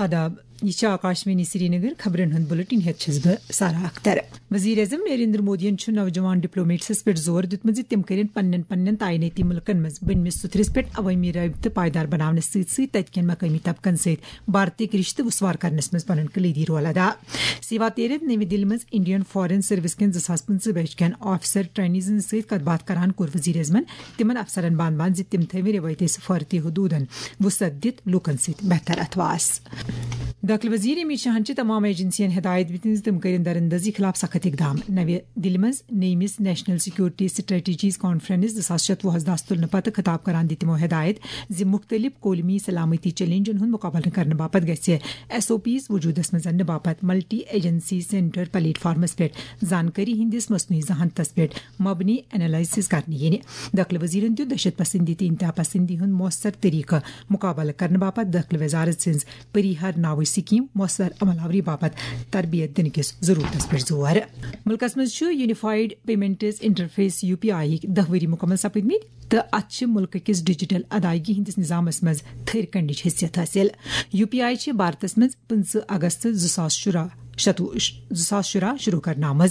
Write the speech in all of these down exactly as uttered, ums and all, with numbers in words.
آداب، یہِ چھِ آکاشوانی سرینگر۔ خبرن ہُنٛد بُلٹن ہٮ۪تھ چھَس بہٕ سارا اختر۔ وزیر اعظم نریندر مودیَن چھُ نوجوان ڈپلومیٹسَس پٮ۪ٹھ زور دیُتمُت زِ تِم کٔرِن پننٮ۪ن پننٮ۪ن تعینٲتی مُلکَن منٛز بٔنمِس سُتھرِس پٮ۪ٹھ عوٲمی رٲبطہٕ پائیدار بناونَس سۭتۍ سۭتۍ تَتہِ کٮ۪ن مقٲمی طبقَن سۭتۍ بھارتی رشتہٕ وُسوار کرنَس منٛز پنُن کلیدی رول ادا۔ سیوا تیرتھ نٔوِ دِلہِ منٛز انڈین فارن سروس کٮ۪ن زٕ ساس پٕنٛژٕہ بیچ کٮ۪ن آفیسر ٹرینیزن سۭتۍ کتھ باتھ کران کوٚر وزیر اعظمن تِمن افسرن بانبان زِ تِم تھٲوِن رِوٲیتی سفارتی حدوٗدن وُسعت دِتھ لوٗکن سۭتۍ بہتر اتھواس۔ دٲخلہٕ وزیر امت شاہن چھِ تمام ایجنسین ہدایت دِژمٕژ زِ تِم کٔرِن دراندازی خلاف سخت اقدام۔ نوِ دِلہِ منٛز نٔیمِس نیشنل سیکورٹی سٹریٹجیز کانفرنس زٕ ساس شتوُہس دس تُلنہٕ پتہٕ خطاب کران دِتۍ تِمو ہدایت زِ مُختٔلِف قومی سلامتی چیلنجن ہُنٛد مُقابلہٕ کرنہٕ باپتھ گژھِ ایس او پیز وجوٗدس منٛز اننہٕ باپتھ ملٹی ایجنسی سینٹر پلیٹ فارمس پٮ۪ٹھ زانکٲری ہٕنٛدِس مصنوعی ذہانتس پٮ۪ٹھ مبنی انالائسس کرنہٕ یِنہِ۔ دٲخلہٕ وزیرن دیُت دہشت پسندی تہٕ انتہا پسندی ہُنٛد مؤثر طریقہٕ مُقابلہٕ کرنہٕ باپتھ دٲخلہٕ وزارت سٕنٛز پریہار ناوٕچ سکیٖم مؤثر عمل آوری باپتھ تربیت دِنہٕ کِس ضروٗرتس پٮ۪ٹھ زور۔ مُلکس منٛز چھُ unified payments interface U P I ہٕکۍ دَہ ؤری مُکمل سپٕدمٕتۍ تہٕ اتھ چھِ مُلکہٕ کِس ڈیجیٹل ادائیگی ہٕنٛدِس نظامس منٛز تھٔرۍ کنڈٕچ حیثیت حٲصِل۔ یو پی آئی چھِ بھارتس منٛز پٕنٛژٕہ اگست زٕ ساس شُراہ شتوُہ، زٕ ساس شُراہ شروع کرنہٕ آمٕژ۔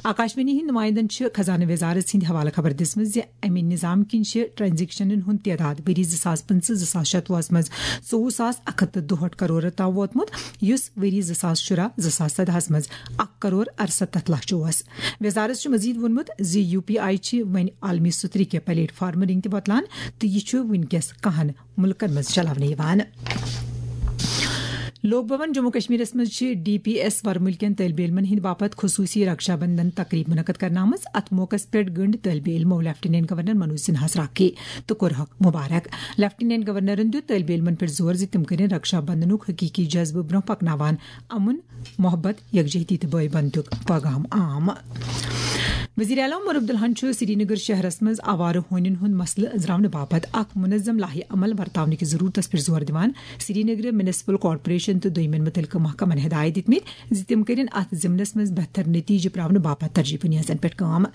آکاشوانی ہٕنٛدۍ نمائندن چھِ خزانہٕ وزارت سٕنٛدِ حوالہٕ خبر دِژمٕژ زِ امہِ نظام کِنۍ چھِ ٹرانزیکشنن ہُنٛد تعداد ؤری زٕ ساس پٕنٛژٕہ زٕ ساس شتوُہس منٛز ژوٚوُہ ساس اکھ ہتھ تہٕ دُہٲٹھ کرور تام ووتمُت، یُس ؤری زٕ ساس شُراہ زٕ ساس سدہس منٛز اکھ کرور ارستتھ لچھ اوس۔ وزارت چھُ مزید ووٚنمُت زِ یو پی آئی چھِ وۄنۍ عالمی سُترِ کہِ پلیٹ فارمہٕ رٔنگۍ تہِ بۄتلان تہٕ یہِ چھُ وٕنکیٚس کاہن مُلکن منٛز چلاونہٕ یِوان۔ لوک بھون جموں کشمیرس منٛز چھِ ڈی پی ایس ورمُلۍ کٮ۪ن طٲلبہِ علمن ہٕنٛدِ باپتھ خصوٗصی رکشا بندھن تقریب منعقد کرنہٕ آمٕژ۔ اتھ موقعس پٮ۪ٹھ گٔنڈ طٲلبہِ علمو لیفٹیننٹ گورنر منوج سنہاہس راکھی تہٕ کوٚرہکھ مبارک۔ لیفٹیننٹ گورنرن دیُت طٲلبہِ علمن پٮ۪ٹھ زور زِ تِم کٔرِن رکشا بندھنُک حقیقی جذبہٕ برونٛہہ پکناوان امن، محبت، یکجہتی تہٕ بٲے بندُک پیغام عام۔ وزیر اعلیٰ عمر عبداللہن چھُ سرینگر شہرس منٛز آوارٕ ہونٮ۪ن ہُنٛد مسلہٕ أنٛزراونہٕ باپتھ اکھ منظم لایحہ عمل ورتاونہٕ کِس ضروٗرتس پٮ۪ٹھ زور دِوان سرینگر میونسپل کارپوریشن تہٕ دوٚیمٮ۪ن مُتعلقہٕ محکمن ہدایت دِتمٕتۍ زِ تِم کٔرِن اتھ ضمنس منٛز بہتر نتیجہٕ پراونہٕ باپتھ ترجیح پنیازن پٮ۪ٹھ کٲم۔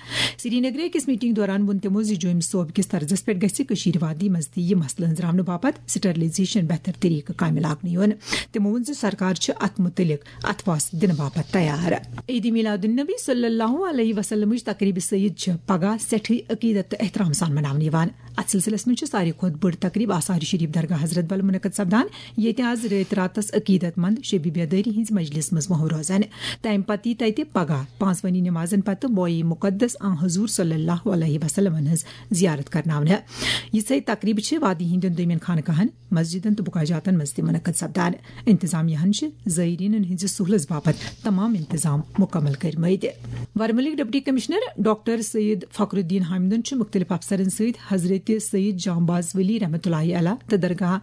سرینگرٕ أکِس میٹنگ دوران ووٚن تِمو زِ جوٚمۍ صوبہٕ کِس طرزس پٮ۪ٹھ گژھِ کٔشیٖر وادی منٛز تہِ یہِ مسلہٕ أنٛزراونہٕ باپتھ سٹرلائزیشن بہتر طریقہٕ کامہِ لاگنہٕ یُن۔ تِمو ووٚن زِ سرکار چھِ اتھ مُتعلق اتھواس دِنہٕ باپتھ تیار۔ عید میلاد النبی صلی اللہ علیہ وسلمٕچ تقریب سعید چھِ پگاہ سٮ۪ٹھٕے عقیدت تہٕ احترام سان مناونہٕ یِوان۔ اتھ سلسلس منٛز چھِ ساروی کھۄتہٕ بٔڑ تقریب آثار شریف درگاہ حضرت بل منعقد سپدان، ییٚتہِ از رٲتۍ راتس عقیدت مند شبِ بیدٲری ہٕنٛز مجلس منٛز موٚہو روزن۔ تمہِ پتہٕ یی تتہِ پگاہ پانٛژوٕنی نمازن پتہٕ بویہِ مقدس آن حضور صلی اللہ علیہ وسلمن ہٕنٛز زیارت کرناونہٕ۔ یِژھے تقریبہٕ چھِ وادی ہٕنٛدٮ۪ن دوٚیمٮ۪ن خانقاہن، مسجدن تہٕ بُکاجاتن منٛز تہِ منعقد سپدان۔ انتظامیہ ہن چھِ زائرینن ہٕنٛزِ سہولژ باپتھ تمام انتظام مکمل کٔرمٕتۍ۔ ورمُلٕکۍ ڈپٹی کمشنر ڈاکٹر سید فخر الدین حامدن چھُ مُختٔلِف افسرن سۭتۍ حضرت سید جانباز ولی رحمتہ اللہ علیہ تہٕ درگاہ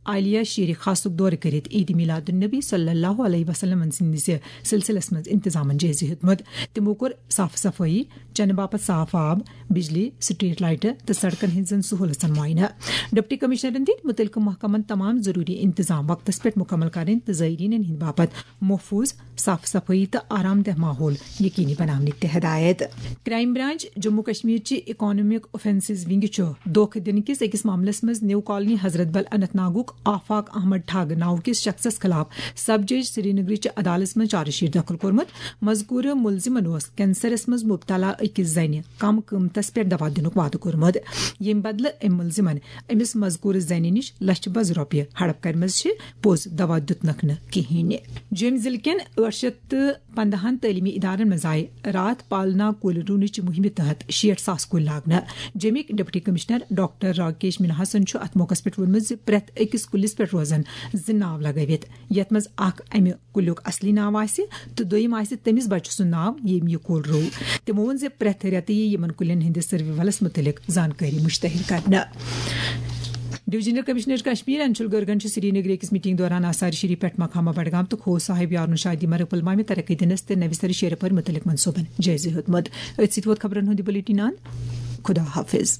عالیہ شیر خاصُک دورٕ کٔرِتھ عید میلاد النبی صلی اللہ علیہ وسلم سٕنٛدِس سلسلس منٛز انتظامن جٲیزٕ ہیوٚتمُت۔ تِمو کوٚر صاف صفٲیی، چنہٕ باپتھ صاف آب، بجلی، سٹریٹ لائٹہٕ تہٕ سڑکن ہٕنٛزن سہولژن معائنہٕ۔ ڈپٹی کمشنرن دِتۍ مُتعلقہٕ محکمن تمام ضروری انتظام وقتس پٮ۪ٹھ مکمل کرٕنۍ تہٕ زائرینن ہٕنٛدِ باپتھ محفوظ، صاف صفٲیی تہٕ آرام دہ ماحول یقینی بناونٕکۍ تہِ ہدایت۔ کرائم برانچ جموں کشمیر چہِ اکنامک آفینسز ونگ چھُ دھوکہ دِنہٕ کِس أکِس معاملس منٛز نیو کالونی حضرت بل اننت ناگُک آفاق احمد ٹھگ ناوٕ کِس شخصس خلاف سب جج سرینگرٕچ عدالتس منٛز چارج شیٹ دٲخل کوٚرمُت۔ مذکورٕ مُلزِمن اوس کینسرس منٛز مبتلا أکِس زنہِ کم قۭمتس پٮ۪ٹھ دوا دِنُک وعدٕ کوٚرمُت، ییٚمہِ بدلہٕ أمۍ مُلزِمن أمِس مذکورٕ زنہِ نِش لچھِ بٔز رۄپیہِ ہڑپ کرِمژٕ چھِ، پوٚز دوا دیُتنکھ نہٕ کِہینۍ۔ جوٚمۍ ضلعہٕ کٮ۪ن ٲٹھ شیٚتھ تہٕ پندہن تعلیمی ادارن منٛز آیہِ راتھ پالنا کُلۍ رُونٕچ مُہِمہِ تحت شیٹھ ساس کُلۍ لاگنہٕ۔ جوٚمِکۍ ڈپٹی کمشنر ڈاکٹر راکیش مِنہاسن چھُ اتھ موقعس پٮ۪ٹھ ووٚنمُت زِ پرٛٮ۪تھ أکِس کُلِس پٮ۪ٹھ روزن زٕ ناو لگٲوِتھ، یتھ منٛز اکھ امہِ کُلیُک اصلی ناو آسہِ تہٕ دوٚیِم آسہِ تٔمِس بچہٕ سُنٛد ناو، ییٚمۍ یہِ کُل روو۔ تِمو ووٚن زِ پرٛٮ۪تھ رٮ۪تہٕ یِیہِ یِمن کُلٮ۪ن ہٕنٛدِس سٔروِولس مُتعلق زانکٲری مُشتہر کرنہٕ۔ ڈویژنل کمشنر کشمیر انشول گرگن چھُ سرینگرٕ أکِس میٹنگ دوران آثار شریف پٮ۪ٹھ مقامہ بڈگام تہٕ کھوہ صاحب یارون شاہدی مرگ پلوامہِ ترقی دِنس تہٕ نوِ سرٕ شیرٕ پورِ مُتعلق منصوبن جٲیزٕ ہیوٚتمُت۔ أتھۍ سۭتۍ ووت خبرن ہُنٛد یہِ بُلیٹن اند۔ خدا حافظ۔